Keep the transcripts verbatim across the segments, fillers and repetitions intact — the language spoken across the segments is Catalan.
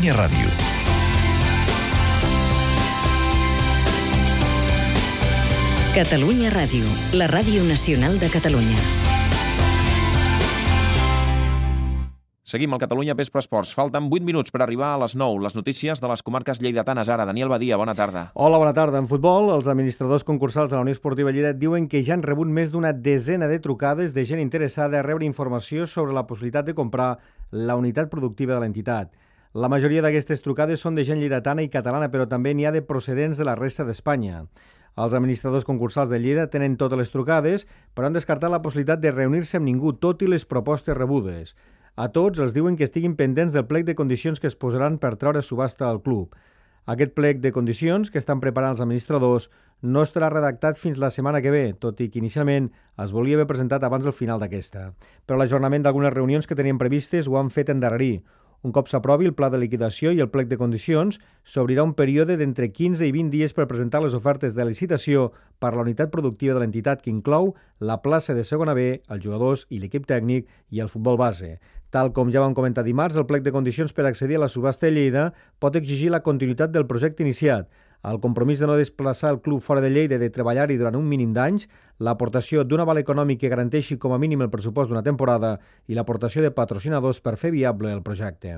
Catalunya Ràdio. Catalunya Ràdio, la ràdio nacional de Catalunya. Seguim al Catalunya Vespre Esports. Falten vuit minuts per arribar a les nou. Les notícies de les comarques lleidatanes ara. Daniel Badia, bona tarda. Hola, bona tarda. En futbol, els administradors concursals de la Unió Esportiva Lleida diuen que ja han rebut més d'una desena de trucades de gent interessada a rebre informació sobre la possibilitat de comprar la unitat productiva de l'entitat. La majoria d'aquestes trucades són de gent lleidatana i catalana, però també n'hi ha de procedents de la resta d'Espanya. Els administradors concursals de Lleida tenen totes les trucades, però han descartat la possibilitat de reunir-se amb ningú, tot i les propostes rebudes. A tots els diuen que estiguin pendents del plec de condicions que es posaran per treure subhasta al club. Aquest plec de condicions que estan preparant els administradors no estarà redactat fins la setmana que ve, tot i que inicialment es volia haver presentat abans del final d'aquesta. Però l'ajornament d'algunes reunions que tenien previstes ho han fet endarrerir. Un cop s'aprovi el pla de liquidació i el plec de condicions, s'obrirà un període d'entre quinze i vint dies per presentar les ofertes de licitació per la unitat productiva de l'entitat, que inclou la plaça de segona B, els jugadors i l'equip tècnic i el futbol base. Tal com ja vam comentar dimarts, el plec de condicions per accedir a la subhasta de Lleida pot exigir la continuïtat del projecte iniciat, el compromís de no desplaçar el club fora de Lleida i de treballar-hi durant un mínim d'anys, l'aportació d'un aval econòmic que garanteixi com a mínim el pressupost d'una temporada i l'aportació de patrocinadors per fer viable el projecte.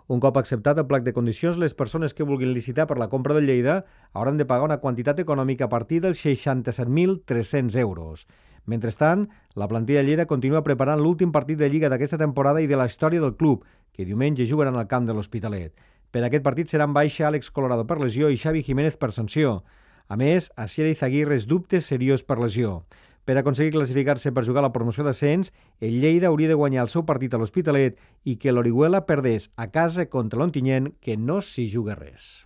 Un cop acceptat el plec de condicions, les persones que vulguin licitar per la compra de Lleida hauran de pagar una quantitat econòmica a partir dels seixanta-set mil tres-cents euros. Mentrestant, la plantilla de Lleida continua preparant l'últim partit de Lliga d'aquesta temporada i de la història del club, que diumenge jugaran al camp de l'Hospitalet. Per aquest partit seran baixa Àlex Colorado per lesió i Xavi Jiménez per sanció. A més, Asier Izaguirre és dubte seriós per lesió. Per aconseguir classificar-se per jugar a la promoció d'ascens, el Lleida hauria de guanyar el seu partit a l'Hospitalet i que l'Orihuela perdés a casa contra l'Ontinyent, que no s'hi juga res.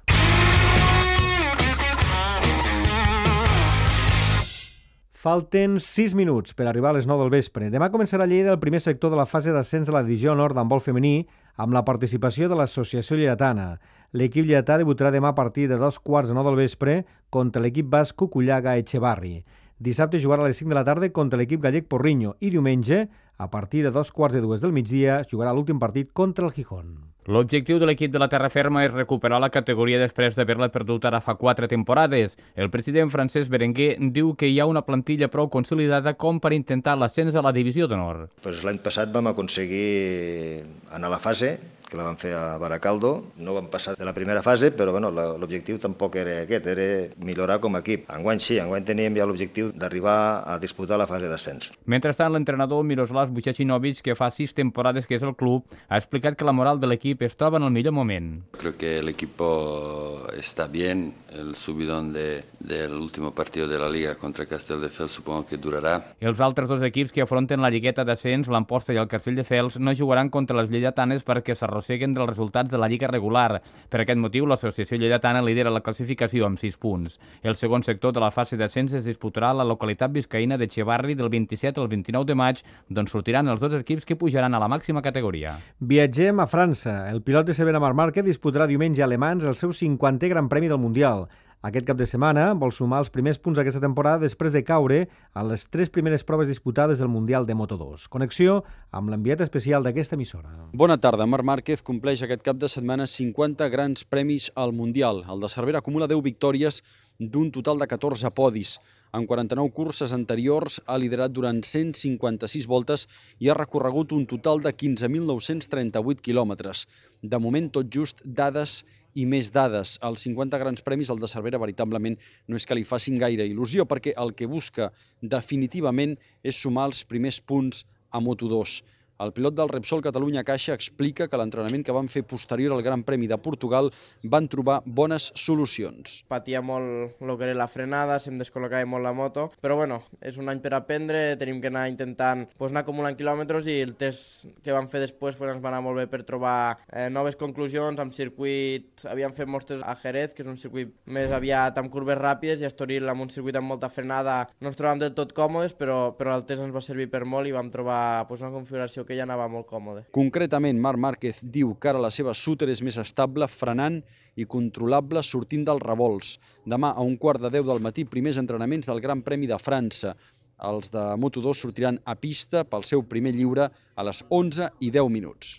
Falten sis minuts per arribar a les nou del vespre. Demà començarà a Lleida el primer sector de la fase d'ascens de la divisió nord d'handbol femení amb la participació de l'Associació Lleidatana. L'equip lleidatà debutarà demà a partir de dos quarts de nou del vespre contra l'equip basc Cucullaga Echevarri. Dissabte jugarà a les cinc de la tarda contra l'equip gallec Porriño i diumenge, a partir de dos quarts de dues del migdia, jugarà l'últim partit contra el Gijón. L'objectiu de l'equip de la terra ferma és recuperar la categoria després d'haver-la perdut ara fa quatre temporades. El president Francesc Berenguer diu que hi ha una plantilla prou consolidada com per intentar l'ascens a la divisió d'honor. Pues l'any passat vam aconseguir anar a la fase, que la vam fer a Baracaldo. No vam passar de la primera fase, però bueno, l'objectiu tampoc era aquest, era millorar com a equip. Enguany sí, enguany teníem ja l'objectiu d'arribar a disputar la fase d'ascens. Mentrestant, l'entrenador Miroslav Vucacinovic, que fa sis temporades que és el club, ha explicat que la moral de l'equip es troba en el millor moment. Creo que el equipo está bien, el subidón de, del último partido de la Liga contra Castelldefels supongo que durará. Els altres dos equips que afronten la lligueta d'ascens, l'Amposta i el Castelldefels, no jugaran contra les lleidatanes perquè s'arrosseguen dels resultats de la Lliga regular. Per aquest motiu, l'Associació Lleidatana lidera la classificació amb sis punts. El segon sector de la fase d'ascens es disputarà a la localitat biscaïna d'Echevarri del vint-i-set al vint-i-nou de maig, d'on sortiran els dos equips que pujaran a la màxima categoria. Viatgem a França. El pilot de Severa Marc Márquez disputarà diumenge a Le Mans el seu cinquantè Gran Premi del Mundial. Aquest cap de setmana vol sumar els primers punts d'aquesta temporada després de caure a les tres primeres proves disputades del Mundial de Moto dos. Connexió amb l'enviat especial d'aquesta emissora. Bona tarda. Marc Márquez compleix aquest cap de setmana cinquanta grans premis al Mundial. El de Cervera acumula deu victòries d'un total de catorze podis. En quaranta-nou curses anteriors ha liderat durant cent cinquanta-sis voltes i ha recorregut un total de quinze mil nou-cents trenta-vuit quilòmetres. De moment, tot just dades i més dades. Els cinquanta grans premis, el de Cervera, veritablement no és que li facin gaire il·lusió, perquè el que busca definitivament és sumar els primers punts a Moto dos. El pilot del Repsol Catalunya Caixa explica que l'entrenament que van fer posterior al Gran Premi de Portugal van trobar bones solucions. Patia molt el que era la frenada, se'm descol·locava molt la moto, però bueno, és un any per aprendre, tenim que anar intentant pues, anar acumulant quilòmetres i el test que vam fer després pues, ens va anar molt bé per trobar eh, noves conclusions amb circuit. Havíem fet molts tests a Jerez, que és un circuit més aviat amb curves ràpides, i a Estoril, amb un circuit amb molta frenada, no ens trobàvem del tot còmodes, però, però el test ens va servir per molt i vam trobar pues, una configuració que ja anava molt còmode. Concretament, Marc Márquez diu que ara la seva súter és més estable, frenant i controlable sortint dels revolts. Demà, a un quart de deu del matí, primers entrenaments del Gran Premi de França. Els de Moto dos sortiran a pista pel seu primer lliure a les onze i deu minuts.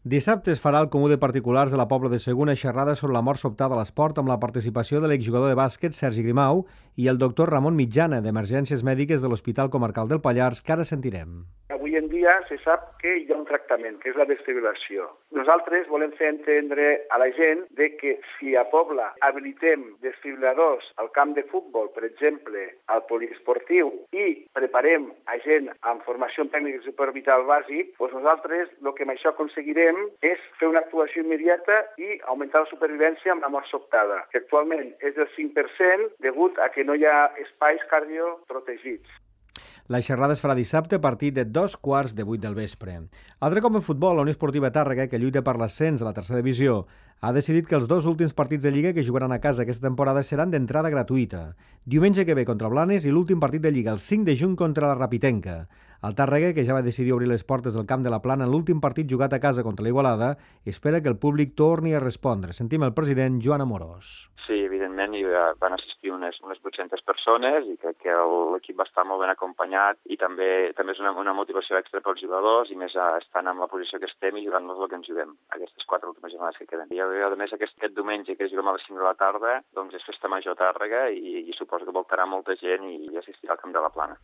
Dissabte es farà el Comú de Particulars de la Pobla de Segur una xerrada sobre la mort sobtada a l'esport amb la participació de l'exjugador de bàsquet Sergi Grimau i el doctor Ramon Mitjana, d'Emergències Mèdiques de l'Hospital Comarcal del Pallars, que ara sentirem. Avui en dia se sap que hi ha un tractament, que és la desfibrilació. Nosaltres volem fer entendre a la gent de que si a Pobla habilitem desfibriladors al camp de futbol, per exemple, al poliesportiu, i preparem a gent amb formació en tècnic de suport vital bàsic, doncs nosaltres el que amb això aconseguirem és fer una actuació immediata i augmentar la supervivència amb la mort sobtada, que actualment és del cinc per cent degut a que no hi ha espais cardioprotegits. La xerrada es farà dissabte a partir de dos quarts de vuit del vespre. Altre cop en futbol, la Unió Esportiva Tàrrega, que lluita per l'ascens a la tercera divisió, ha decidit que els dos últims partits de Lliga que jugaran a casa aquesta temporada seran d'entrada gratuïta. Diumenge que ve contra Blanes i l'últim partit de Lliga el cinc de juny contra la Rapitenca. El Tàrrega, que ja va decidir obrir les portes del camp de la Plana en l'últim partit jugat a casa contra l'Igualada, espera que el públic torni a respondre. Sentim el president Joan Amorós. Sí, evidentment hi van assistir unes, unes vuit-centes persones i crec que l'equip va estar molt ben acompanyat i també també és una, una motivació extra pels jugadors i més estant en la posició que estem i jugant-nos el que ens juguem aquestes quatre últimes jornades que queden. I a més aquest, aquest diumenge que juguem a les cinc de la tarda doncs és festa major a Tàrrega i, i suposo que voltarà molta gent i, i assistirà al camp de la Plana.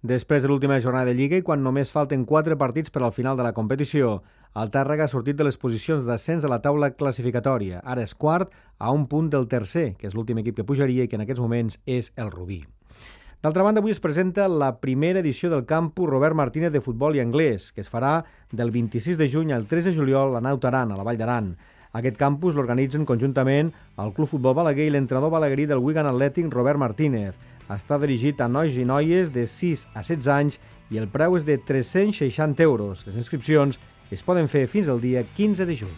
Després de l'última jornada de Lliga i quan només falten quatre partits per al final de la competició, el Tàrrega ha sortit de les posicions d'ascens a la taula classificatòria. Ara és quart a un punt del tercer, que és l'últim equip que pujaria i que en aquests moments és el Rubí. D'altra banda, avui es presenta la primera edició del campus Robert Martínez de futbol i anglès, que es farà del vint-i-sis de juny al tres de juliol a Naut Aran, a la Vall d'Aran. Aquest campus l'organitzen conjuntament el Club Futbol Balaguer i l'entrenador balaguerí del Wigan Athletic, Robert Martínez. Està dirigit a nois i noies de sis a setze anys i el preu és de tres-cents seixanta euros. Les inscripcions es poden fer fins al dia quinze de juny.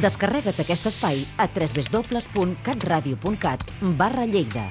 Descarrega't aquest espai a w w w punt catradio punt cat barra Lleida.